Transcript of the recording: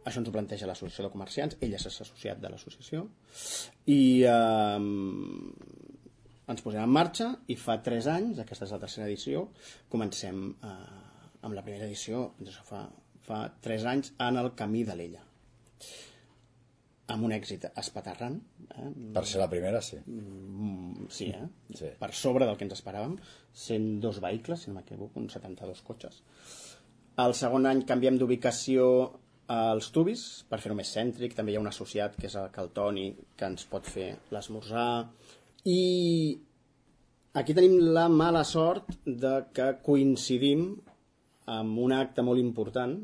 això ens ho planteja l'Associació de Comerciants, ell és associat de l'associació, i ens posem en marxa i fa 3 anys, aquesta és la tercera edició, comencem amb la primera edició, fa 3 anys, en el Camí de l'Ella, amb un èxit espaterrant. Per ser la primera, sí. Sí, Sí. Per sobre del que ens esperàvem, 102 vehicles, si no m'equivoco, uns 72 cotxes. El segon any canviem d'ubicació als Tubis per fer-ho més cèntric. També hi ha un associat que és el Toni, que ens pot fer l'esmorzar. I aquí tenim la mala sort de que coincidim amb un acte molt important